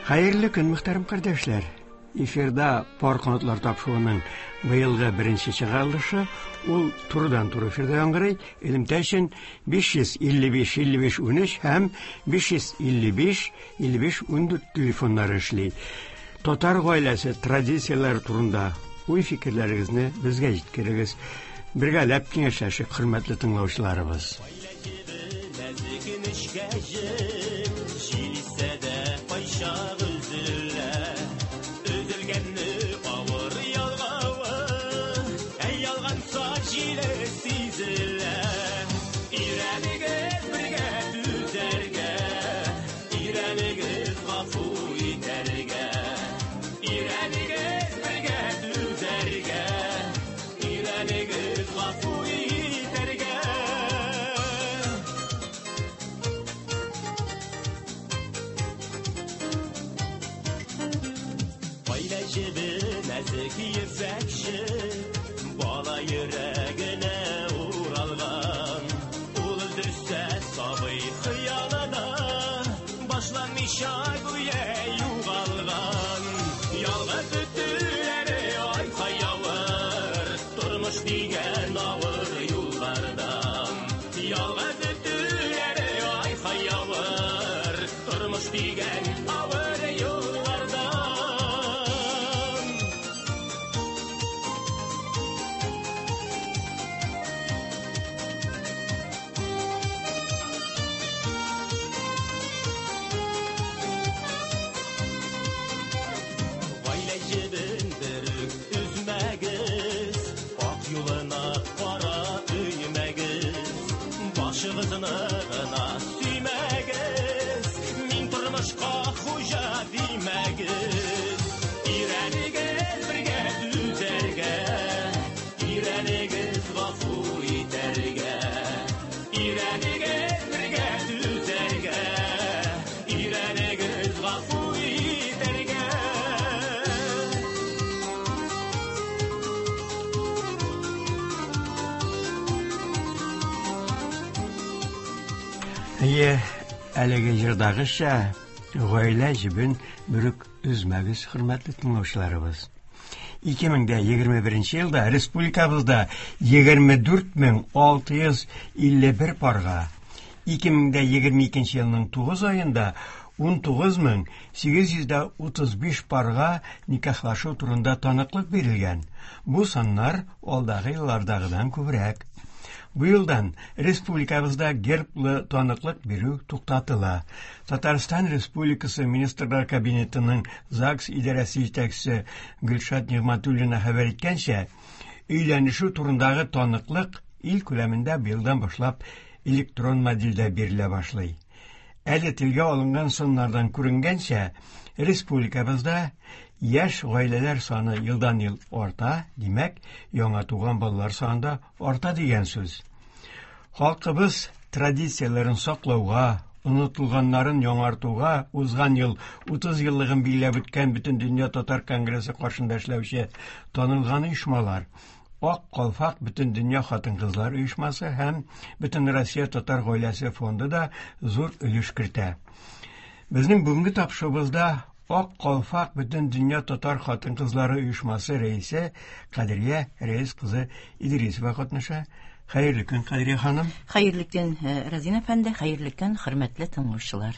Хәерле көн, мөхтәрәм кардәшләр! Эфирда Пар канатлар тапшыруының быелгы беренче чыгарылышы. Ул турыдан-туры эфирда яңгырый. Элемтә өчен 555 55 13 һәм 555 55 14 телефоннары эшли. Татар гаиләсе традицияләре турында уй-фикерләрегезне безгә җиткерегез. Бергәләп киңәшләшик, хөрмәтле тыңлаучыларыбыз. Җил исә дә кайчак өзелә. Өзелгәнне авыр ялгавы, ә ялганса җиле сизелә. Өйрәнегез бергә түзәргә, өйрәнегез гафу итәргә. Өйрәнегез бергә түзәргә, өйрәнегез гафу итәргә. Гаилә җебе нәзек ефәкче, бала йөрәгенә уралган. Ул өздерсә сабый хыялы да, башланмыйча гүя югалган. Ялгыз өтүләре ай-һай авыр, тормыш дигән авыр юллардан. Ялгыз өтүләре ай-һай авыр, тормыш дигән авыр юллардан. Гаилә җебен берүк өзмәгез, ак юлына кара өймәгез. Башыгызны гына сөймәгез, мин тормышка хуҗа димәгез. Өйрәнегез бергә түзәргә, өйрәнегез гафу итәргә. Өйрәнегез бергә түзәргә, өйрәнегез гафу итәргә. Әйе, әлеге җырдагыча, гаилә җебен берүк өзмәгез, хөрмәтле тыңлаучыларыбыз. 2021 елда республикабызда 24651 парга, 2022 елның 9 аенда 19835 парга никахлашу турында таныклык бирелгән. Бу саннар алдагы еллардагыдан күбрәк. Бу елдан республикабызда герблы таныклык бирү туктатыла. Татарстан Республикасы Министрлар Кабинетының ЗАГС идарәсе җитәкчесе Гөлшат Нигъмәтуллина хәбәр иткәнчә, өйләнешү турындагы таныклык ил күләмендә быелдан башлап электрон модельдә бирелә башлый. Әле телгә алынган саннардан күренгәнчә, республикабызда яшь гаиләләр саны елдан-ел арта, димәк, яңа туган балалар саны да арта дигән сүз. Халкыбыз традицияләрен саклауга, онытылганнарын яңартуга узган ел 30 еллыгын билгеләп үткән Бөтендөнья татар конгрессы каршында эшләүче танылган оешмалар Ак калфак Бөтендөнья хатын-кызлар оешмасы һәм Бөтенроссия татар гаиләсе фонды да зур өлеш кертә. Безнең бүгенге тапшыруыбызда Ак калфак Бөтендөнья татар хатын-кызлары оешмасы рәисе Кадрия Рәис кызы Идрисова катнаша. Хәерле көн, Кадрия ханым. Хәерле көн, Разин әфәнде, хәерле көн, хөрмәтле тыңлаучылар.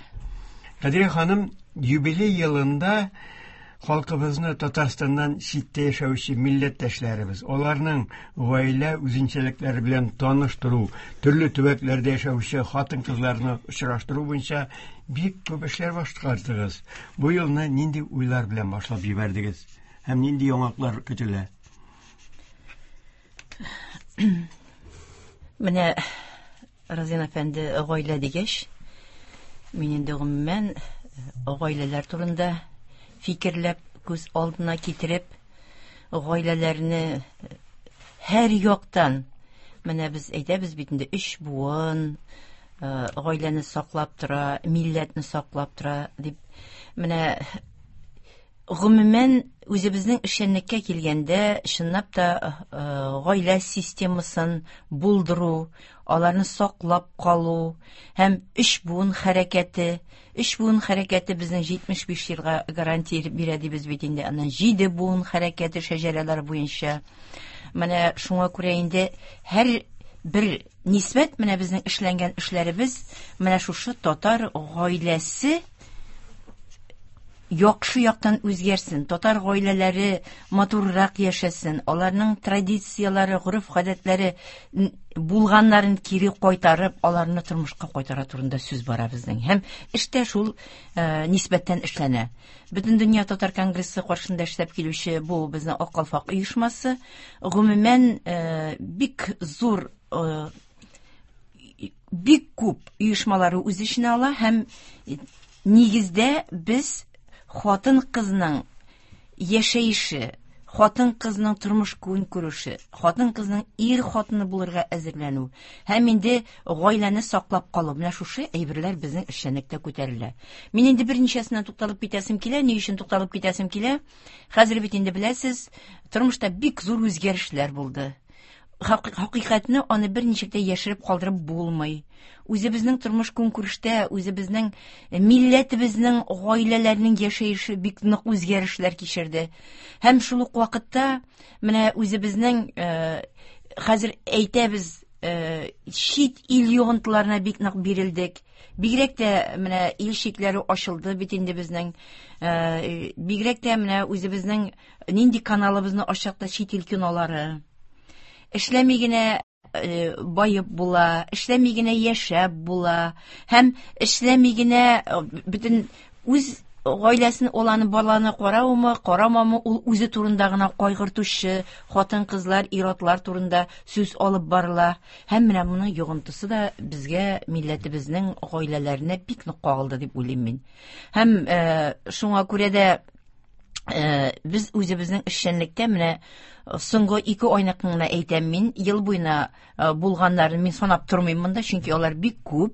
Кадрия ханым, юбилей елында халкыбызны Татарстаннан читтә яшәүче милләттәшләребез, аларның гаилә үзенчәлекләре белән таныштыру, төрле төбәкләрдә яшәүче хатын-кызларны очраштыру буенча бик күп эшләр башкардыгыз. Бу елны нинди уйлар белән башлап җибәрдегез һәм нинди яңалыклар көтелә? Менә Разин әфәнде гаилә дигәч, мин инде гомумән гаиләләр турында фикерләп, күз алдына китереп, гаиләләрне һәр яктан менә без әйтәбез бит инде өч буын гаиләне саклап тора, милләтне саклап тора дип. Менә Гомумән, үзебезнең эшчәнлеккә килгәндә, чынлап та гаилә системасын булдыру, аларны саклап калу һәм өч буын хәрәкәте, өч буын хәрәкәте безнең 75 елга гарантия бирә дибез бит инде, аннан 7 буын хәрәкәте шәҗәрәләр буенча. Менә шуңа күрә инде һәр бер нисбәт менә безнең эшләнгән эшләребез менә шушы татар гаиләсе яхшы яктан үзгәрсен, татар гаиләләре матуррак яшәсен, аларның традицияләре, гореф-гадәтләре булганнарын кире кайтарып, аларны тормышка кайтара турында сүз бара безнең. Һәм эштә шул нисбәттән эшләнә. Бөтендөнья татар конгрессы каршында эшләп килүче бу безнең Ак калфак оешмасы гомумән бик зур, бик күп оешмалары үз эченә ала һәм нигездә без хатын-кызның яшәеше, хатын-кызның тормыш көнкүреше, хатын-кызның ир хатыны булырга әзерләнү һәм инде гаиләне саклап калу, менә шушы әйберләр безнең эшчәнлектә күтәрелә. Мин инде берничәсенә тукталып китәсем килә. Ни өчен тукталып китәсем килә? Хәзер бит инде беләсез, тормышта бик зур үзгәрешләр булды. Хакыйкатьне аны берничек тә яшереп калдырып булмый. Үзебезнең тормыш көнкүрештә, үзебезнең милләтебезнең гаиләләренең яшәеше бик нык үзгәрешләр кичерде. Һәм шул ук вакытта менә үзебезнең хәзер әйтәбез, чит ил йогынтыларына бик нык бирелдек. Бигрәк тә менә ил чикләре ачылды бит инде безнең. Бигрәк тә менә үзебезнең нинди каналыбызны ачсак та чит ил кинолары. Эшләми генә баеп була, эшләми генә яшәп була һәм эшләми генә бөтен үз гаиләсен, ул аны баланы караумы, карамамы, ул үзе турында гына кайгыртучы хатын-кызлар, ир-атлар турында сүз алып барыла. Һәм менә моның йогынтысы да безгә, милләтебезнең гаиләләренә бик нык кагылды дип уйлыйм мин. Һәм шуңа күрә дә без үзебезнең эшчәнлектә менә соңгы 2 айны гына әйтәм мин, ел буена булганнарын мин санап тормыйм монда, чөнки алар бик күп.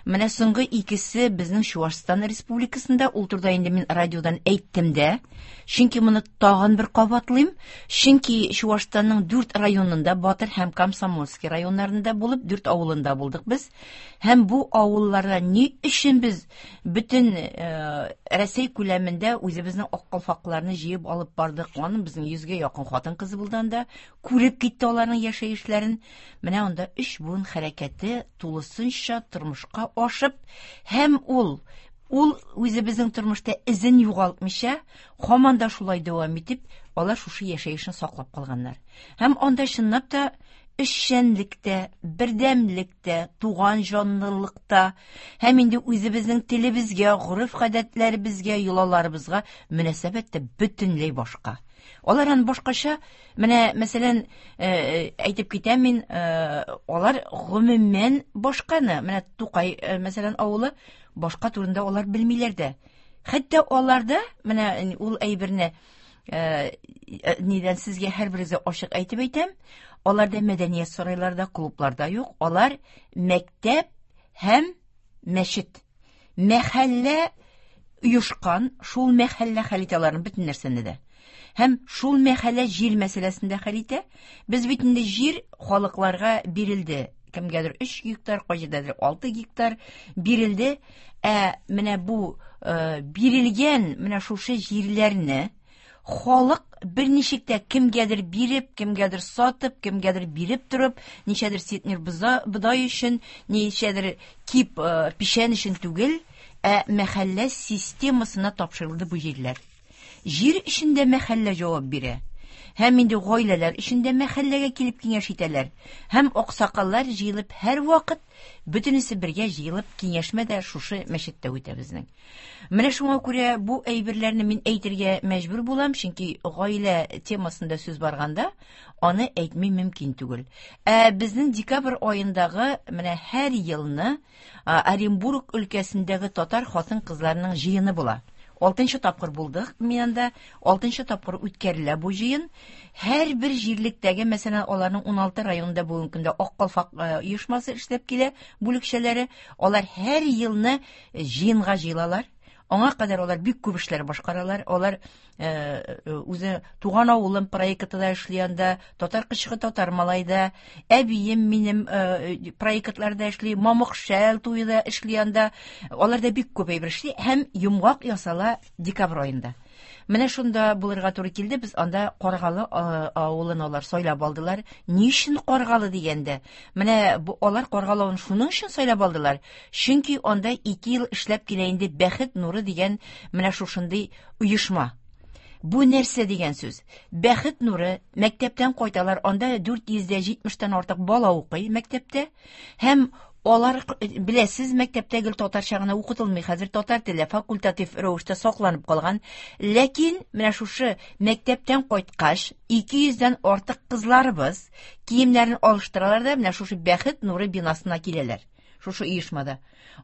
Менә соңгы икесе безнең Чуашстан Республикасында, ул турыда инде мин радиодан әйттем дә, чөнки моны тагын бер кабатлыйм, чөнки Чуашстанның 4 районында, Батыр һәм Комсомольский районнарында булып, 4 авылында булдык без. Һәм бу авылларда ни өчен без бөтен Рәсәй күләмендә үзебезнең ак калфакларны җыеп алып бардык. Аның безнең 100гә якын хатын кызы булды анда. Күреп китте аларның яшәешләрен. Менә анда 3 буын хәрәкәте тулысынча тормышка ашып, һәм ул үзебезнең тормышта эзен югалтмыйча, һаман да шулай дәвам итеп, алар шушы яшәешен саклап калганнар. Һәм анда чынлап та эшчәнлектә, бердәмлектә, туган җанлылыкта һәм инде үзебезнең телебезгә, гореф-гадәтләребезгә, йолаларыбызга мөнәсәбәт тә бөтенләй башка. Алар аны башкача, менә мәсәлән, әйтеп китәм мин, алар гомумән башканы, менә Тукай, мәсәлән, авылы башка турында алар белмиләр дә. Хәтта аларда менә ул әйберне нидән сезгә һәрберегезгә ачык әйтеп әйтәм, аларда мәдәният сарайларда, клубларда юк, алар мәктәп һәм мәчет. Мәхәллә оешкан, шул мәхәллә хәл итә аларның бөтен нәрсәне дә. Һәм шул мәхәллә җир мәсьәләсен дә хәл итә. Без бит инде җир халыкларга бирелде. Кемгәдер 3 гектар, кайҗирдәдер 6 гектар бирелде. Ә менә бу бирелгән менә шушы җирләрне халык берничек тә кемгәдер биреп, кемгәдер сатып, кемгәдер биреп торып, ничәдер центнер бодай өчен, ничәдер кип печән өчен түгел, ә мәхәллә системасына тапшырылды бу җирләр. Җир өчен дә мәхәллә җавап бирә. Һәм инде гаиләләр өчен дә мәхәлләгә килеп киңәш итәләр. Һәм аксакаллар җыелып һәр вакыт бөтенесе бергә җыелып киңәшмә дә шушы мәчеттә үтә безнең. Менә шуңа күрә бу әйберләрне мин әйтергә мәҗбүр булам, чөнки гаилә темасында сүз барганда аны әйтми мөмкин түгел. Ә безнең декабрь аендагы менә һәр елны Оренбург өлкәсендәге татар хатын-кызларының җыены була. 6 тапкыр булдык мин анда, 6 тапкыр үткәрелә бу җыен. Һәрбер җирлектәге, мәсәлән, аларның 16 районында бүгенге көндә Ак калфак оешмасы эшләп килә, бүлекчәләре. Алар һәр елны җыенга җыелалар. Аңа кадәр алар бик күп эшләр башкаралар. Алар үзе Туган авылым проекты да эшли анда, Татар кычкы татар малайда, Әбием минем проектларда эшли, Мамык шәл туе да эшли анда. Алар да бик күп әйбер эшли һәм йомгак ясала декабрь аенда. Менә шунда булырга туры килде. Без анда Каргалы авылын алар сайлап алдылар. Ни өчен Каргалы дигәндә? Менә бу алар Каргалы авылын шуның өчен сайлап алдылар. Чөнки анда 2 ел эшләп килә инде Бәхет нуры дигән менә шушындый оешма. Бу нәрсә дигән сүз? Бәхет нуры мәктәптән кайталар, анда 470-тән артык бала укый мәктәптә. Һәм алар беләсез, мәктәптә гел татарча гына укытылмый. Хәзер татар теле факультатив рәвештә сакланып калган. Ләкин менә шушы мәктәптән кайткач, 200-дән артык кызларыбыз киемнәрен алыштыралар да менә шушы Бәхет нуры бинасына киләләр. Шушы оешмада.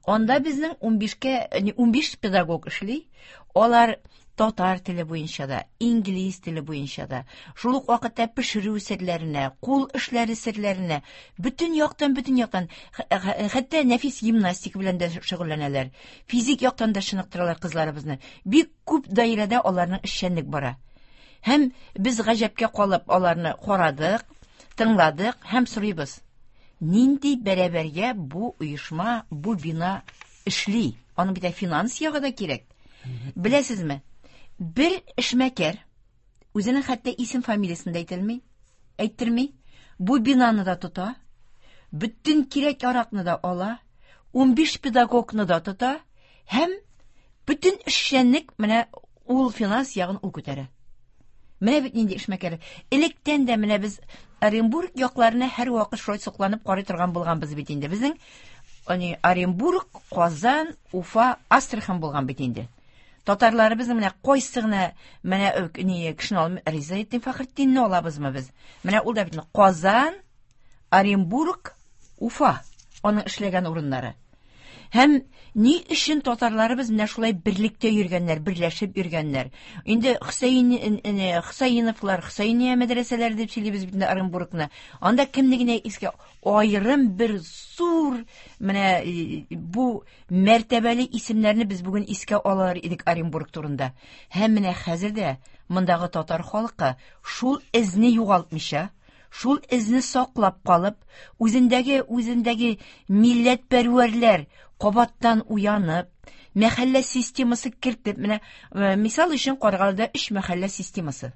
Анда безнең 15-кә, 15 педагог эшли. Алар татар теле буенча да, инглиз теле буенча да, шул ук вакытта пешерү серләренә, кул эшләре серләренә, бөтен яктан, бөтен яктан, хәтта нәфис гимнастика белән дә шөгыльләнәләр. Физик яктан да чыныктыралар кызларыбызны. Бик күп даирәдә аларның эшчәнлек бара. Һәм без гаҗәпкә калып аларны карадык, тыңладык һәм сорыйбыз. Нинди бәрабәргә бу оешма, бу бина эшли? Аның бит финанс ягы да кирәк. Беләсезме? Бер эшмәкәр үзенең хәтта исем фамилиясен дә әйтелми, әйттерми. Бу бинаны да тота, бөтен кирәк-яракны да ала, 15 педагогны да тота һәм бөтен эшчәнлек менә ул финанс ягын ул күтәрә. Менә бит нинди эшмәкәр. Электән дә менә без Оренбург якларына һәрвакыт шулай сокланып карый торган булганбыз бит инде. Безнең ани Оренбург, Казан, Уфа, Астрахань булган бит инде. Татарларыбызның менә кайсы гына менә ни кешене алмый, Ризаэтдин Фәхретдинне алабызмы без? Менә ул да бит Казан, Оренбург, Уфа аның эшләгән урыннары. Һәм ни өчен татарларыбыз менә шулай берлектә йөргәннәр, берләшеп йөргәннәр? Инде Хөсәен Хөсәеновлар, Хөсәения мәдрәсәләре дип сөйлибез бит инде Оренбургны. Анда кемне генә искә аерым бер зур менә бу мәртәбәле исемнәрне без бүген искә алар идек Оренбург турында. Һәм менә хәзер дә мондагы татар халкы шул эзне югалтмыйча, шул эзне саклап калып, үзендәге үзендәге милләтпәрвәрләр кабаттан уянып, мәхәллә системасы кертеп, менә мисал өчен Каргалыда өч мәхәллә системасы.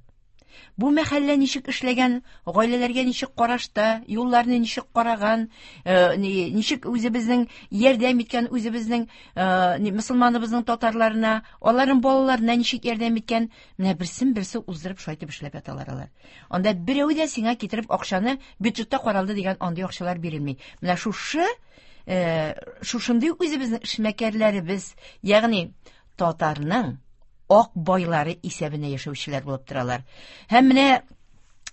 Бу мәхәллә ничек эшләгән, гаиләләргә ничек карашта, юлларны ничек караган, ничек үзебезнең ярдәм иткән үзебезнең мөселманыбызның татарларына, аларның балаларына ничек ярдәм иткән, менә берсен берсе уздырып шулай итеп эшләп яталар алар. Анда берәү дә сиңа китереп акчаны бюджетта каралды дигән андый акчалар бирелми. Менә шушы шушындый үзебезнең эшмәкәрләребез, ягъни татарның ак байлары исәбенә яшәүчеләр булып торалар. Һәм менә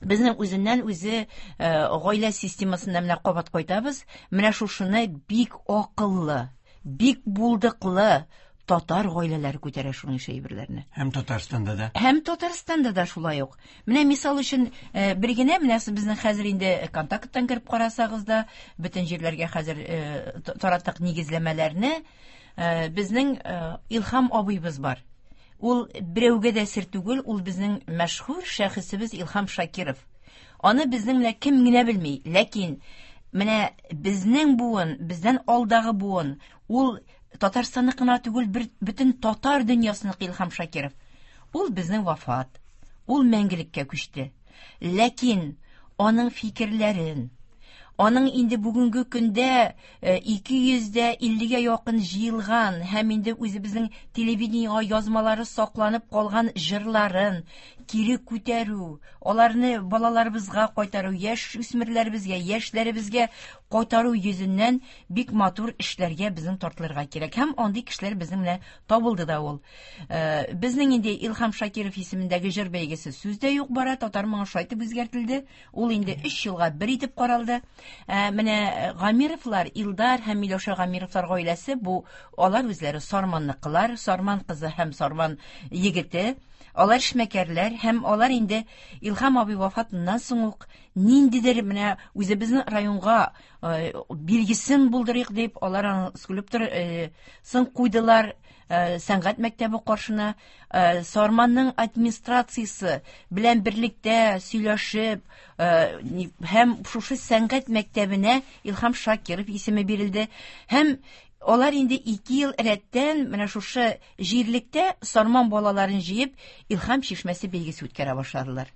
безнең үзеннән үзе гаилә системасында менә кабат кайтабыз. Менә шушыны бик акыллы, бик булдыклы татар гаиләләре күтәрә шуның ише әйберләрне. Һәм Татарстанда да. Һәм Татарстанда да шулай ук. Менә мисал өчен бер генә менә безнең хәзер инде контакттан кереп карасагыз да, бөтен җирләргә хәзер тараттык нигезләмәләрне. Безнең Илһам абыйбыз бар. Ул берәүгә дә сер түгел, ул безнең мәшһүр шәхесебез Илһам Шакиров. Аны безнең менә кем генә белми, ләкин менә безнең буын, бездән алдагы буын, ул Татарстанныкы гына түгел, бер бөтен татар дөньясыныкы Илһам Шакиров. Ул безнең вафат. Ул мәңгелеккә күчте. Ләкин аның фикерләрен, аның инде бүгенге көндә 250-гә якын җыелган һәм инде үзебезнең телевидениега язмалары сакланып калган җырларын кире күтәрү, аларны балаларыбызга кайтару, яшь үсмерләребезгә, яшьләребезгә кайтару йөзеннән бик матур эшләргә безнең тартылырга кирәк. Һәм андый кешеләр безнең менә табылды да ул. Безнең инде Илһам Шакиров исемендәге җыр бәйгесе сүз дә юк бара, татар моңы шулай итеп үзгәртелде. Ул инде 3 елга бер итеп каралды. Менә Гамировлар, Илдар һәм Миләүшә Гамировлар гаиләсе бу алар үзләре Сарманныкылар, Сарман кызы һәм Сарман егете. Алар эшмәкәрләр һәм алар инде Илһам абый вафатыннан соң ук ниндидер менә үзебезнең районга билгесен булдырыйк дип, алар аның скульптор сын куйдылар сәнгать мәктәбе каршына. Сарманның администрациясе белән берлектә сөйләшеп, һәм шушы сәнгать мәктәбенә Илһам Шакиров исеме бирелде. Һәм алар инде 2 ел рәттән менә шушы җирлектә Сарман балаларын җыеп, Илһам чишмәсе бәйгесе үткәрә башладылар.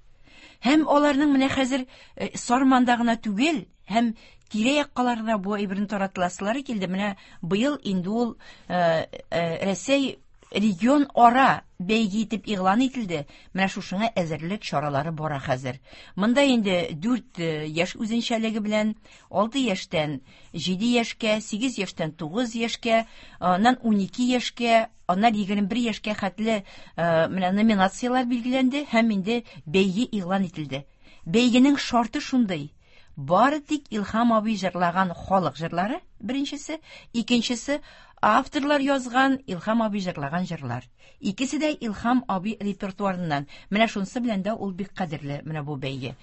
Һәм аларның менә хәзер Сарманда гына түгел, һәм тирә-яккаларда бу әйберне таратыласылары килде. Менә быел инде ул Рәсәй регион ара бәйге итеп игълан ителде. Менә шушыңа әзерлек чаралары бара хәзер. Монда инде 4 яшь үзенчәлеге белән 6 яшьтән 7 яшькә, 8 яшьтән 9 яшькә, аннан 12 яшькә, аннан 21 яшькә хәтле менә номинацияләр билгеләнде һәм инде бәйге игълан ителде. Бәйгенең шарты шундый: бары тик Илһам абый җырлаган халык җырлары беренчесе, икенчесе авторлар язган Илһам абый җырлаган җырлар. Икесе дә Илһам абый репертуарыннан. Менә шунысы белән дә ул бик кадерле менә бу бәйге.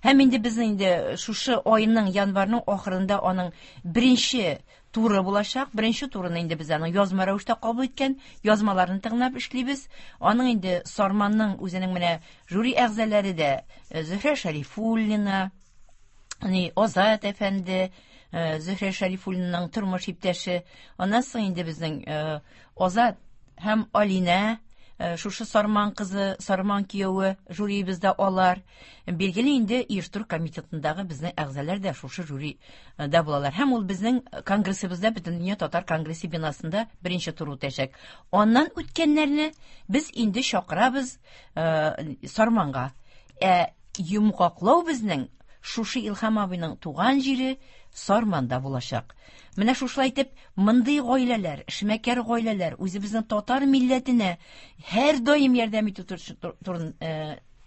Һәм инде безнең инде шушы айның, январьның ахырында аның беренче туры булачак. Беренче турын инде без аның язма рәвештә кабул иткән язмаларын тыңлап эшлибез. Аның инде Сарманның үзенең менә жюри әгъзалары да Зөһрә Шәрифуллина, Азат әфәнде, Зөһрә Шәрифуллинаның тормыш иптәше. Аннан соң инде безнең Азат һәм Алинә, шушы Сарман кызы, Сарман кияве жюриебездә алар. Билгеле инде оештыру комитетындагы безнең әгъзалар да шушы жюрида булалар. Һәм ул безнең конгрессыбызда, Бөтендөнья татар конгрессы бинасында беренче тур үтәчәк. Аннан үткәннәрне без инде чакырабыз Сарманга. Ә йомгаклау безнең шушы Илһам абыйның туган җире Сарманда булачак. Менә шушылай итеп, мондый гаиләләр, эшмәкәр гаиләләр үзебезнең татар милләтенә һәр даим ярдәм итү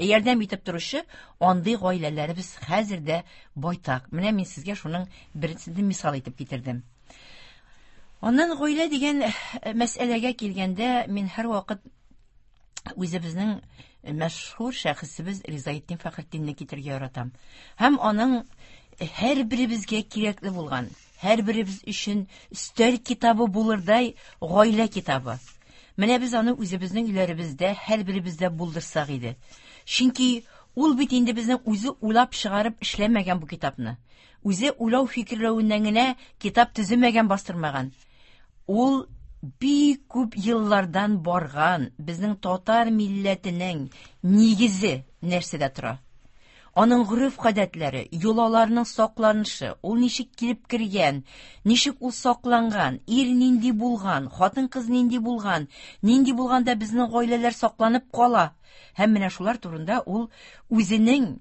ярдәм итеп торучы андый гаиләләребез хәзер дә байтак. Менә мин сезгә шуның беренчесен мисал итеп китердем. Аннан гаилә дигән мәсьәләгә килгәндә, мин һәрвакыт үзебезнең мәшһүр шәхесебез Ризаэтдин Фәхретдинне китерергә яратам. Һәм аның һәрберебезгә кирәкле булган, һәрберебез өчен өстәл китабы булырдай гаилә китабы. Менә без аны үзебезнең өйләребездә һәрберебездә булдырсак иде. Чөнки ул бит инде безнең үзе уйлап чыгарып эшләмәгән бу китапны. Үзе уйлау фикерләвеннән генә китап төземәгән, бастырмаган. Ул бик күп еллардан барган безнең татар милләтенең нигезе нәрсәдә тора. Аның гореф-гадәтләре, йолаларының сакланышы, ул ничек килеп кергән, ничек ул сакланган, ир нинди булган, хатын-кыз нинди булган, нинди булганда безнең гаиләләр сакланып кала. Һәм менә шулар турында ул үзенең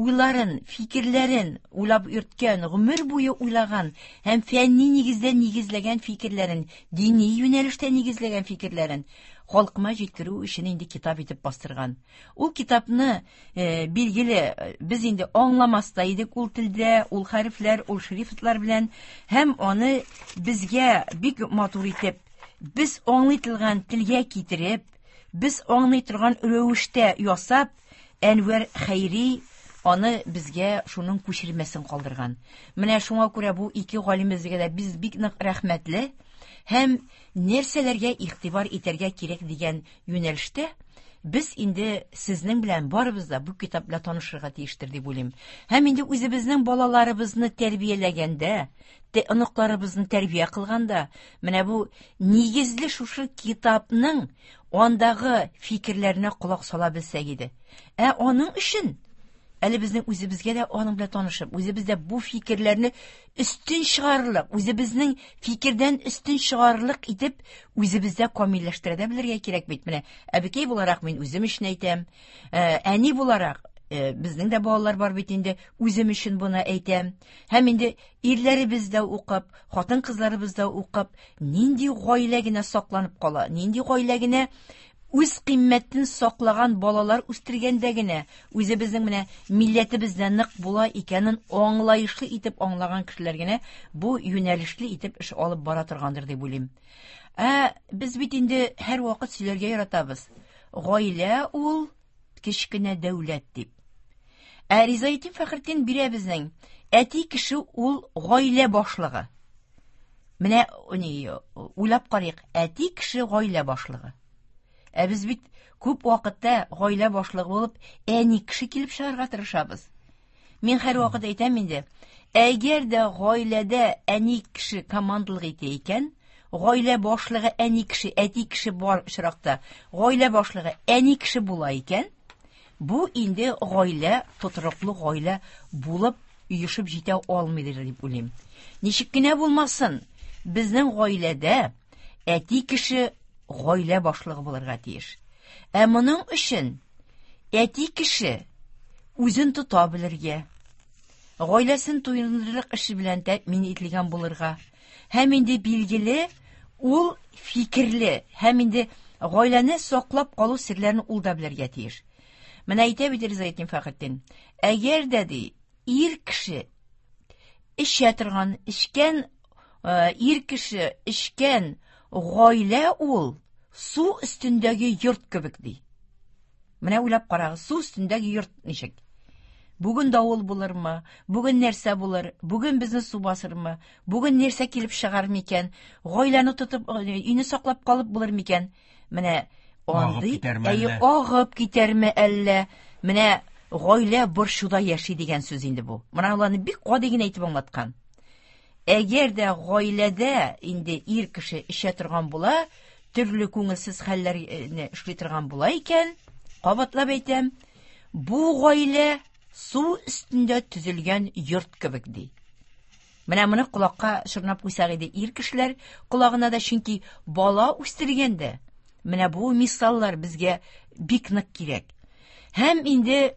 уйларын, фикерләрен уйлап йөрткән, гомер буе уйлаган һәм фәнни нигездә нигезләгән фикерләрен, дини юнәлештә нигезләгән фикерләрен халкыма җиткерү өчен инде китап итеп бастырган. Ул китапны, билгеле, без инде аңламас та идек ул телдә, ул хәрефләр, ул шрифтлар белән, һәм аны безгә бик матур итеп, без аңлый торган телгә китереп, без аңлый торган рәвештә ясап, Әнвәр Хәйри аны безгә шуның күчермәсен калдырган. Менә шуңа күрә бу ике галимебезгә дә без бик нык рәхмәтле һәм нәрсәләргә игътибар итәргә кирәк дигән юнәлештә без инде сезнең белән барыбыз да бу китап белән танышырга тиештер дип уйлыйм. Һәм инде үзебезнең балаларыбызны тәрбияләгәндә, оныкларыбызны тәрбия кылганда, менә бу нигезле шушы китапның андагы фикерләренә колак сала белсәк иде. Ә аның өчен әле безнең үзебезгә дә аның белән танышып, үзебез дә бу фикерләрне өстен чыгарырлык, үзебезнең фикердән өстен чыгарырлык итеп, үзебездә камилләштерә дә белергә кирәк бит. Менә әбекәй буларак мин үзем өчен әйтәм, әни буларак, безнең дә балалар бар бит инде, үзем өчен буны әйтәм. Һәм инде ирләребез дә укып, хатын-кызларыбыз да укып, нинди гаилә генә сакланып кала, нинди гаилә генә үз кыйммәтен саклаган балалар үстергәндә генә үзебезнең менә милләтебездә нык була икәнен аңлаешлы итеп аңлаган кешеләр генә бу юнәлешле итеп эш алып бара торгандыр дип уйлыйм. Ә без бит инде һәрвакыт сөйләргә яратабыз. Гаилә ул кечкенә дәүләт дип. Ә Ризаэтдин Фәхретдин бирә безнең әти кеше ул гаилә башлыгы. Менә ни уйлап карыйк, әти кеше гаилә башлыгы. Ә без бит күп вакытта гаилә башлыгы булып әни кеше килеп чыгарга тырышабыз. Мин һәрвакыт әйтәм инде, әгәр дә гаиләдә әни кеше командалык итә икән, гаилә башлыгы әни кеше, әти кеше бар очракта, гаилә башлыгы әни кеше була икән, бу инде гаилә, тотрыклы гаилә булып оешып җитә алмыйдыр дип уйлыйм. Ничек кенә булмасын, безнең гаиләдә әти кеше гаилә башлыгы булырга тиеш. Ә моның өчен әти кеше үзен тота белергә, гаиләсен туендырырлык эше белән тәэмин ителгән булырга, һәм инде билгеле, ул фикерле, һәм инде гаиләне саклап калу серләрен ул да белергә тиеш. Менә әйтә бит Ризаэтдин Фәхретдин, әгәр дә ди, ир кеше эчә торган, эчкән ир кеше эчкән гаилә ул су өстендәге йорт кебек ди. Менә уйлап карагыз, су өстендәге йорт ничек? Бүген давыл булырмы? Бүген нәрсә булыр? Бүген безне су басырмы? Бүген нәрсә килеп чыгар микән? Гаиләне тотып, өйне саклап калып булыр микән? Менә андый, әйе, агып китәрме әллә? Менә гаилә борчуда яши дигән сүз инде бу. Менә аларны бик гади генә итеп аңлаткан. Әгәр дә гаиләдә инде ир кеше эчә торган була, төрле күңелсез хәлләрне эшли торган була икән, кабатлап әйтәм, бу гаилә су өстендә төзелгән йорт кебек ди. Менә моны колакка чорнап куйсак иде ир кешеләр колагына да, чөнки бала үстергәндә менә бу мисаллар безгә бик нык кирәк. Һәм инде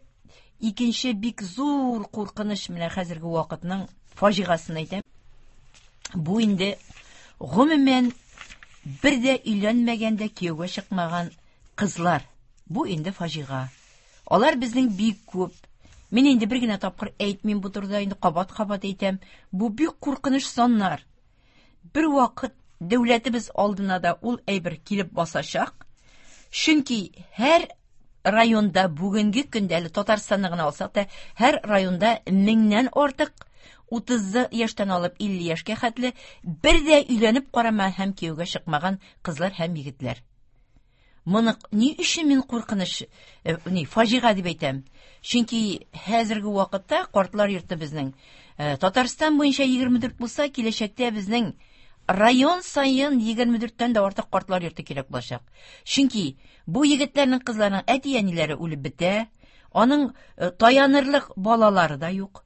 икенче бик зур куркыныч менә хәзерге вакытның фаҗигасын әйтәм. Бу инде гомумән бер дә өйләнмәгән дә кияүгә чыкмаган кызлар. Бу инде фаҗига. Алар безнең бик күп. Мин инде бер генә тапкыр әйтмим бу турыда, инде кабат-кабат әйтәм. Бу бик куркыныч саннар. Бер вакыт дәүләтебез алдына да ул әйбер килеп басачак. Чөнки һәр районда бүгенге көндә әле Татарстанны гына алсак та, һәр районда меңнән артык 30 яшьтән алып 50 яшькә хәтле бер дә өйләнеп карамаган һәм кияүгә чыкмаган кызлар һәм егетләр. Моны ни өчен мин куркыныч, ни, фаҗига дип әйтәм? Чөнки хәзерге вакытта картлар йорты безнең Татарстан буенча 24 булса, киләчәктә безнең район саен 24-тән дә артык картлар йорты кирәк булачак. Чөнки бу егетләрнең, кызларның әти-әниләре үлеп бетә, аның таянырлык балалары да юк.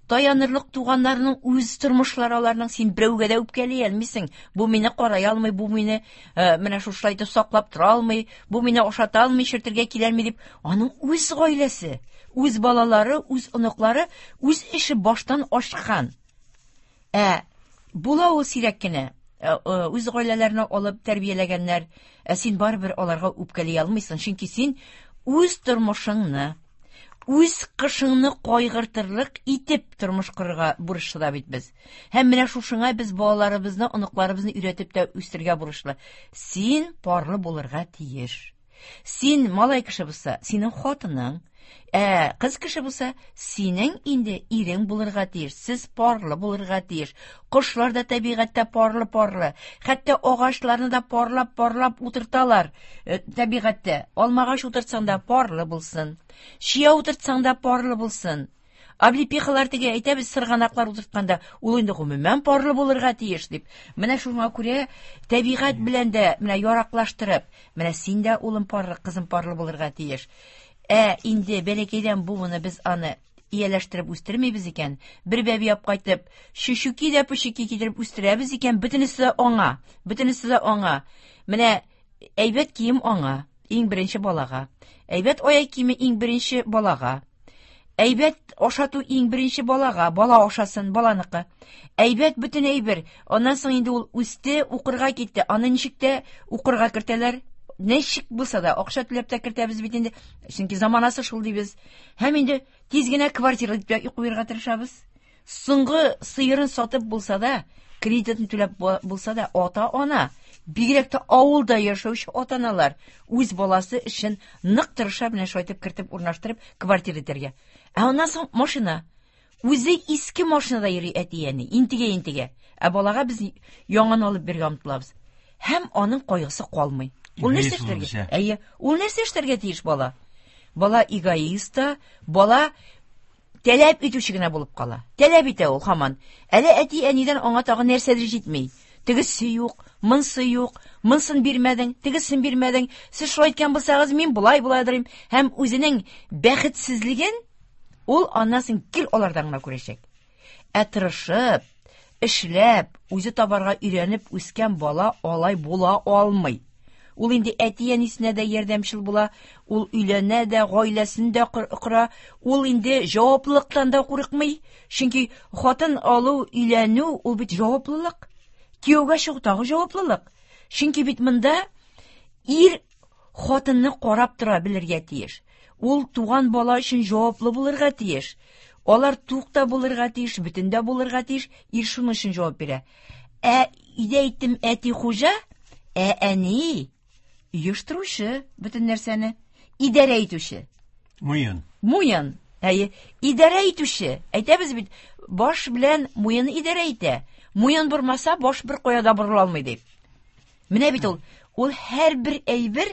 Таянырлык туганнарының үз тормышлары аларның, син берәүгә дә үпкәли алмыйсың. Бу мине карай алмый, бу мине менә шушылай итеп саклап тора алмый, бу мине ашата алмый, чертергә килә алмый дип, аның үз гаиләсе, үз балалары, үз оныклары, үз эше баштан ашкан. Ә була ул сирәк кенә үз гаиләләренә алып тәрбияләгәннәр, ә син барыбер аларга үпкәли алмыйсың, чөнки син үз тормышыңны, үз кышыңны кайгыртырлык итеп тормыш корырга бурычлы да бит без. Һәм менә шушыңа без балаларыбызны, оныкларыбызны өйрәтеп тә үстерергә бурычлы. Син парлы булырга тиеш. Син малай кеше булса, синең хатының, ә кыз кеше булса, синең инде ирең булырга тиеш. Сез парлы булырга тиеш. Кошлар да табигатьтә парлы-парлы. Хәтта агачларны да парлап-парлап утырталар табигатьтә. Алмагач утыртсаң да парлы булсын. Чия утыртсаң да парлы булсын. Облепихалар теге әйтәбез, сырганаклар утыртканда, ул инде гомумән парлы булырга тиеш дип. Менә шуңа күрә табигать белән дә менә яраклаштырып, менә син дә улым парлы, кызым парлы булырга тиеш. Ә инде бәләкәйдән бу моны без аны ияләштереп үстермибез икән, бер бәби алып кайтып, чүчүки дә пүчүки китереп үстерәбез икән, бөтенесе дә аңа, бөтенесе дә аңа. Менә әйбәт кием аңа, иң беренче балага. Әйбәт аяк киеме иң беренче балага. Әйбәт ашату иң беренче балага, бала ашасын, баланыкы. Әйбәт бөтен әйбер. Аннан соң инде ул үсте, укырга китте. Аны ничек тә укырга кертәләр. Ничек булса да, акча түләп тә кертәбез бит инде. Чөнки заманасы шул дибез. Һәм инде тиз генә квартира дип куярга тырышабыз. Соңгы сыерын сатып булса да, кредитын түләп булса да, ата-ана, бигрәк тә авылда яшәүче ата-аналар үз баласы өчен нык тырыша, менә шулай итеп кертеп урнаштырып квартира итәргә. Ә аннан соң машина. Үзе иске машинада йөри әти-әни, интегә-интегә. Ә балага без яңаны алып бирергә омтылабыз. Һәм аның кайгысы калмый. Ул нәрсә эшләргә? Әйе, ул нәрсә эшләргә тиеш бала? Бала эгоист та, бала таләп итүче генә булып кала. Таләп итә ул һаман. Әле әти-әнидән аңа тагын нәрсәдер җитми. Тегесе юк, монсы юк, монсын бирмәдең, тегесен бирмәдең. Сез шулай әйткән булсагыз, мин болай була дырым. Һәм үзенең бәхетсезлеген ул аннан соң гел алардан гына күрәчәк. Ә тырышып, эшләп, үзе табарга өйрәнеп үскән бала алай була алмый. Ул инде әти-әнисенә дә ярдәмчел була, ул өйләнә дә, гаиләсен дә кора, ул инде җаваплылыктан да курыкмый. Чөнки хатын алу, өйләнү ул бит җаваплылык. Кияүгә чыгу тагы җаваплылык. Чөнки бит монда ир хатынны карап тора белергә тиеш. Ул туган бала өчен җаваплы булырга тиеш. Алар тук та булырга тиеш, бөтен дә булырга тиеш. Ир шуның өчен җавап бирә. Ә өйдә әйттем, әти хуҗа, ә әни оештыручы бөтен нәрсәне, идарә итүче. Муен. Муен. Әйе, идарә итүче. Әйтәбез бит, баш белән муен идарә итә. Муен бормаса, баш бер кая да борыла алмый дип. Менә бит ул, ул һәрбер әйбер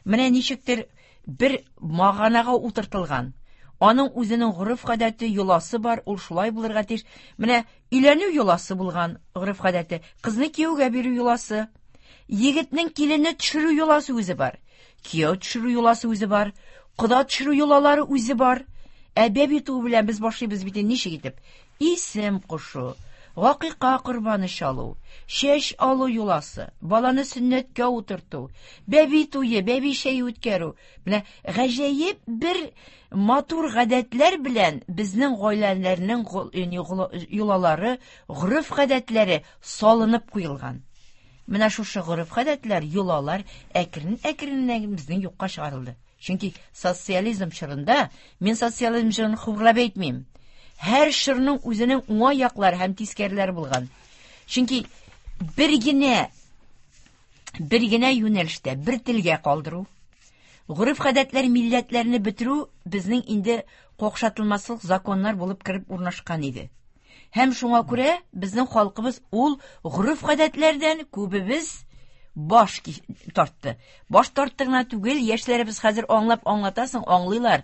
менә ничектер бер маганага утыртылган. Аның үзенең гореф-гадәте, йоласы бар, ул шулай булырга тиеш. Менә өйләнү йоласы булган гореф-гадәте, кызны кияүгә бирү йоласы, егетнең киленне төшерү йоласы үзе бар, кияү төшерү йоласы үзе бар, кода төшерү йолалары үзе бар. Ә бәби туу белән без башлыйбыз бит ничек итеп? Исем кушу, гакыйка корбаны чалу, чәч алу йоласы, баланы сөннәткә утырту, бәби туе, бәби чәе үткәрү. Менә гаҗәеп бер матур гадәтләр белән безнең гаиләләрнең йолалары, гореф-гадәтләре салынып куелган. Менә шушы гореф-гадәтләр, йолалар әкрен-әкрен безнең юкка чыгарылды. Чөнки социализм чорында, мин социализм чорын хурлап әйтмим, һәр чорның үзенең уңай яклары һәм тискәреләре булган. Чөнки бер генә бер генә юнәлештә бер телгә калдыру, гореф-гадәтләр милләтләрне бетерү безнең инде какшатылмаслык законнар булып кереп урнашкан иде. Һәм шуңа күрә безнең халкыбыз ул гореф-гадәтләрдән күбебез баш тартты. Баш тартты гына түгел, яшьләребез хәзер аңлап аңлатасың, аңлыйлар.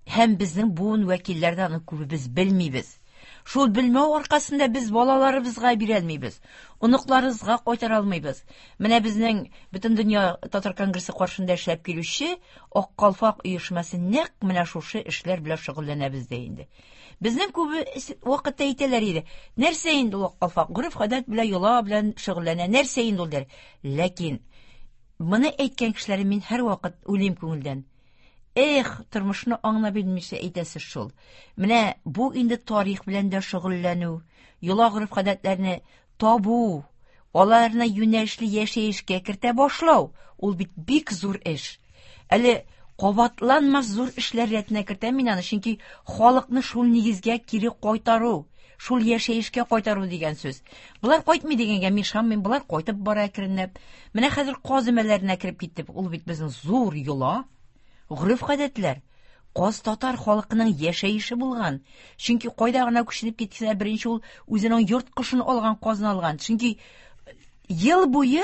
Һәм безнең буын вәкилләре дә аны күбебез белмибез. Шул белмәү аркасында без балаларыбызга бирәлмибез, оныкларыбызга кайтара алмыйбыз. Менә безнең Бөтендөнья татар конгрессы каршында эшләп килүче Ак калфак оешмасы нәкъ менә шушы эшләр белән шөгыльләнәбез дә инде. Безнең күбе вакытта әйтәләр иде, нәрсә инде ул Ак калфак, гореф-гадәт белән, йола белән шөгыльләнә, нәрсә инде ул диләр. Ләкин моны әйткән кешеләрне мин һәрвакыт уйлыйм күңелдән. Эх, тормышны аңлап белмичә әйтәсез шул. Менә бу инде тарих белән дә шөгыльләнү, йола гореф-гадәтләрне табу, аларны юнәлешле яшәешкә кертә башлау, ул бит бик зур эш. Әле кабатланмас зур эшләр рәтенә кертәм мин аны, чөнки халыкны шул нигезгә кире кайтару, шул яшәешкә кайтару дигән сүз. Болар кайтмый дигәнгә мин ышанмыйм, болар кайтып бара әкренләп. Менә хәзер каз өмәләренә кереп киттек. Ул бит безнең зур йола, гореф-гадәтләр. Каз татар халкының яшәеше булган. Чөнки кайда гына күченеп китсә, беренче ул үзенең йорт кошын алган, казын алган. Чөнки ел буе,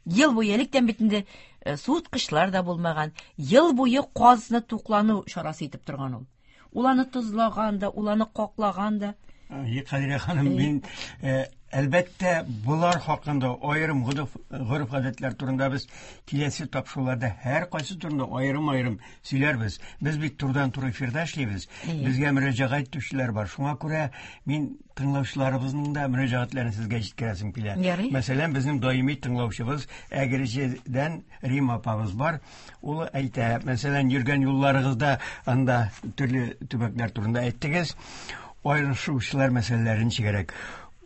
ел буе электән бит инде э, суыткычлар да булмаган. Ел буе казны туклану чарасы итеп торган ул. Ул аны тозлаган да, ул аны каклаган да. Кадирә ханым, мин э, әлбәттә болар хакында аерым гореф-гадәтләр турында без киләсе тапшыруларда һәр кайсы турында аерым-аерым сөйләрбез. Без бит турыдан-туры эфирда эшлибез. Безгә мөрәҗәгать итүчеләр бар. Шуңа күрә мин тыңлаучыларыбызның да мөрәҗәгатьләрен сезгә җиткерәсем килә. Мәсәлән, безнең даими тыңлаучыбыз Әгерҗедән Рима апабыз бар. Ул әйтә, мәсәлән, йөргән юлларыгызда анда төрле төбәкләр турында әйттегез. Аерышучылар мәсьәләләре ничегрәк?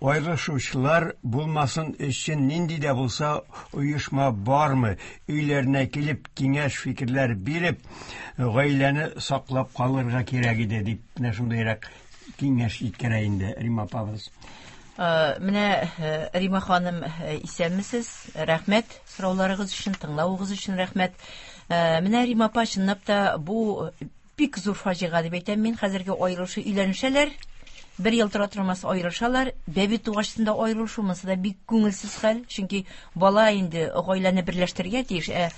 Аерышучылар булмасын өчен нинди дә булса оешма бармы? Өйләренә килеп киңәш фикерләр биреп, гаиләне саклап калырга кирәк иде дип, менә шундыйрак киңәш җиткерә инде Рима апабыз. Э, менә э, Рима ханым, э, исәнмесез. Рәхмәт сорауларыгыз өчен, тыңлавыгыз өчен рәхмәт. Менә Рима апа, чынлап та бу Бик зур фаҗига дип әйтәм мин. Хәзерге аерылышу, өйләнешәләр, бер ел тора тормас аерылышалар. Бәби тугачтын да аерылышу, монысы да бик күңелсез хәл. Чөнки бала инде гаиләне берләштерергә тиеш, ә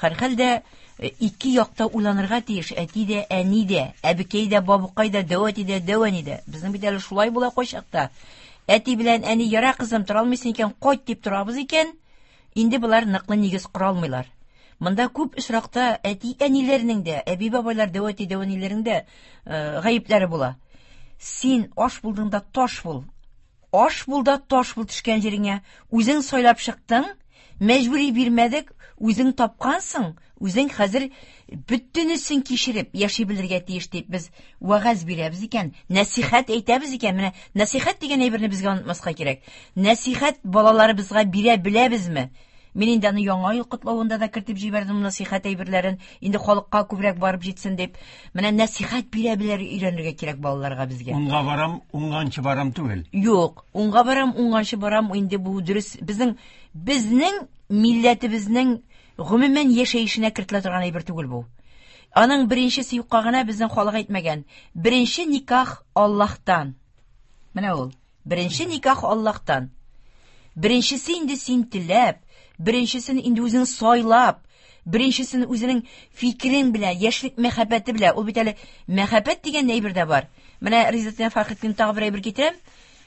һәрхәлдә ике якта уйланырга тиеш. Әти дә, әни дә, әбекәй дә, бабыкай да, дәү әти дә, дәү әни дә. Безнең бит әле шулай була кайчакта. Әти белән әни, яра кызым, тора алмыйсың икән, кайт дип торабыз икән, инде болар ныклы нигез кора алмыйлар. Монда күп очракта әти-әниләрнең дә, әби-бабайлар, дәү әти, дәү әниләрнең дә гаепләре була. Син аш булдың да таш бул. Аш бул да таш бул төшкән җиреңә. Үзең сайлап чыктың, мәҗбүри бирмәдек, үзең тапкансың, үзең хәзер бөтенесен кичереп яши белергә тиеш дип без вәгазь бирәбез икән, нәсихәт әйтәбез икән. Менә нәсихәт дигән әйберне безгә онытмаска кирәк. Нәсихәт балаларыбызга бирә беләбезме? Мин инде аны Яңа ел котлавында да кертеп җибәрдем нәсихәт әйберләрен, инде халыкка күбрәк барып җитсен дип. Менә нәсихәт бирә белергә өйрәнергә кирәк балаларга безгә. Уңга барам, уңганчы барам түгел. Юк, уңга барам, уңганчы барам, инде бу дөрес. Безнең милләтебезнең гомумән яшәешенә кертелә торган әйбер түгел бу. Аның беренчесе юкка гына безнең халык әйтмәгән. Беренче никах Аллаһтан. Менә ул. Беренче никах Аллаһтан. Беренчесе инде син теләп, беренчесен инде үзең сайлап, беренчесен үзенең фикерең белән, яшьлек мәхәббәте белән. Ул бит әле мәхәббәт дигән әйбер дә бар. Менә Ризатдин Фәхретдин тагы бер әйбер китерәм.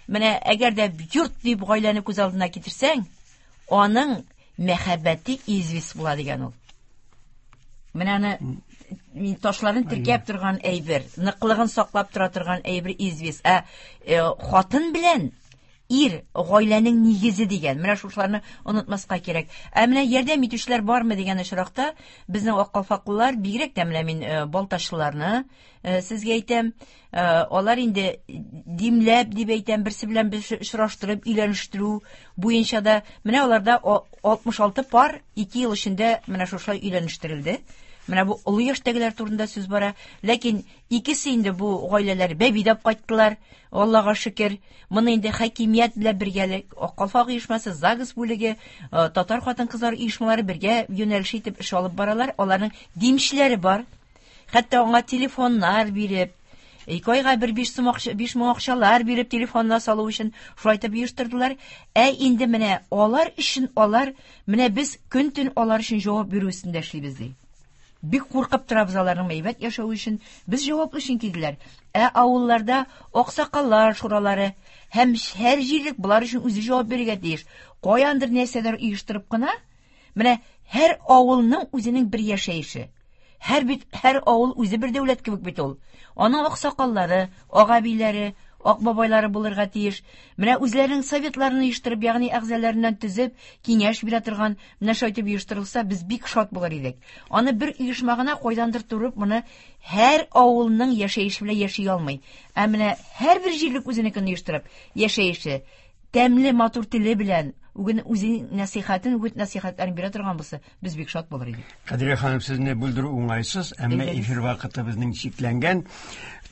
Менә әгәр дә йорт дип гаиләне күз алдына китерсәң, аның мәхәббәте известь була дигән ул. Менә аны ташларын теркәп торган әйбер, ныклыгын саклап тора торган әйбер известь. Ә хатын белән ир гаиләнең нигезе дигән. Менә шушыларны онытмаска кирәк. Ә менә ярдәм итүчеләр бармы дигән очракта, безнең аккалфаклылар, бигрәк тә менә мин балтачлыларны сезгә әйтәм, алар инде димләп дип әйтәм, берсе белән берсе очраштырып, өйләнештерү буенча да, менә аларда 66 пар 2 ел эчендә менә шушылай өйләнештерелде. Менә бу олы яшьтәгеләр турында сүз бара. Ләкин икесе инде бу гаиләләр бәби дә кайттылар, Аллага шөкер. Моны инде хакимият белән бергәлек, Аккалфак оешмасы, ЗАГС бүлеге, татар хатын-кызлар оешмалары бергә юнәлеш итеп эш алып баралар. Аларның димчеләре бар. Хәтта аңа телефоннар биреп, ике айга бер биш сум акча, биш мең акчалар биреп телефонна салу өчен шулай итеп оештырдылар. Ә инде менә алар өчен алар, менә без көн-төн алар өчен җавап бирү өстендә эшлибез ди. Бик куркып торабыз аларның әйбәт яшәве өчен. Без җаваплы чөнки диләр. Ә авылларда аксакаллар шуралары һәм һәр җирлек болар өчен үзе җавап бирергә тиеш. Каяндыр нәрсәләр оештырып кына, менә һәр авылның үзенең бер яшәеше. Һәр бит, һәр авыл үзе бер дәүләт кебек бит ул. Аның аксакаллары, агабиләре, акбабайлары булырга тиеш. Менә үзләренең советларын оештырып, ягъни әгъзаларыннан төзеп, киңәш бирә торган, менә шулай итеп оештырылса, без бик шат булыр идек. Аны бер оешма гына кайдандыр торып, моны һәр авылның яшәеше белән яши алмый. Ә менә һәрбер җирлек үзенекен оештырып, яшәеше, тәмле матур теле белән, үген үзенең нәсихәтен, үгет нәсихәтләрен бирә торган булса, без бик шат булыр идек. Кадрия ханым, сезне бүлдерү уңайсыз, әмма эфир вакыты безнең чикләнгән.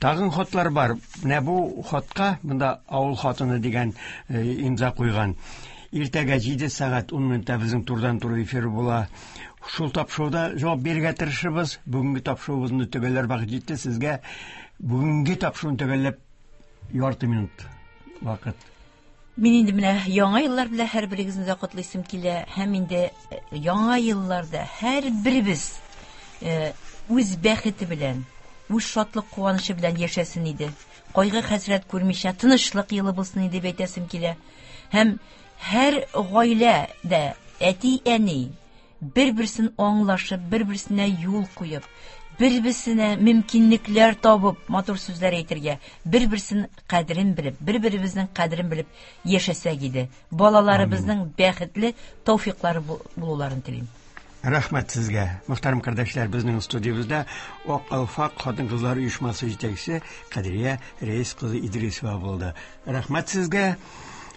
Тагын хатлар бар. Менә бу хатка монда авыл хатыны дигән имза куйган. Иртәгә 7 сәгать 10 минутта безнең турыдан-туры эфир була. Шул тапшыруда җавап бирергә тырышырбыз. Бүгенге тапшыруыбызны төгәлләр вакыт җитте. Сезгә бүгенге тапшыруны төгәлләп ярты минут вакыт. Мин инде менә яңа еллар белән һәрберегезне дә котлыйсым килә, һәм инде яңа елларда һәрберебез үз бәхете белән, үз шатлык куанычы белән яшәсен иде. Кайгы хәсрәт күрмичә тынычлык елы булсын иде дип әйтәсем килә. Һәм һәр гаиләдә әти-әни бер-берсен аңлашып, бер-берсенә юл куеп, бер-берсенә мөмкинлекләр табып, матур сүзләр әйтергә, бер-берсен кадерен белеп, бер-беребезнең кадерен белеп яшәсәк иде. Балаларыбызның бәхетле тәүфиклары булуларын телим. Рәхмәт сезгә. Мөхтәрәм кардәшләр, безнең студиябездә Ак калфак хатын-кызлар оешмасы җитәкчесе Кадрия Рәис кызы Идрисова булды. Рәхмәт сезгә.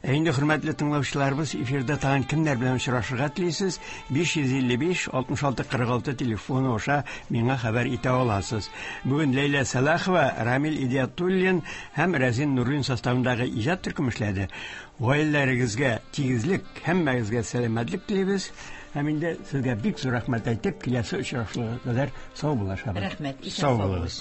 Ә инде хөрмәтле тыңлаучыларыбыз, эфирда тагын кемнәр белән очрашырга телисез? 555 66 46 телефоны аша миңа хәбәр итә аласыз. Бүген Ләйлә Сәлахова, Рамил Идиятуллин һәм Рәзин Нуруллин составындагы иҗат төркеме эшләде. Гаиләләрегезгә тигезлек, һәммәгезгә сәламәтлек телибез. Һәм инде сезгә бик зур рәхмәт әйтеп, киләсе очрашуга кадәр сау булашабыз. Рәхмәт, Сау булыгыз.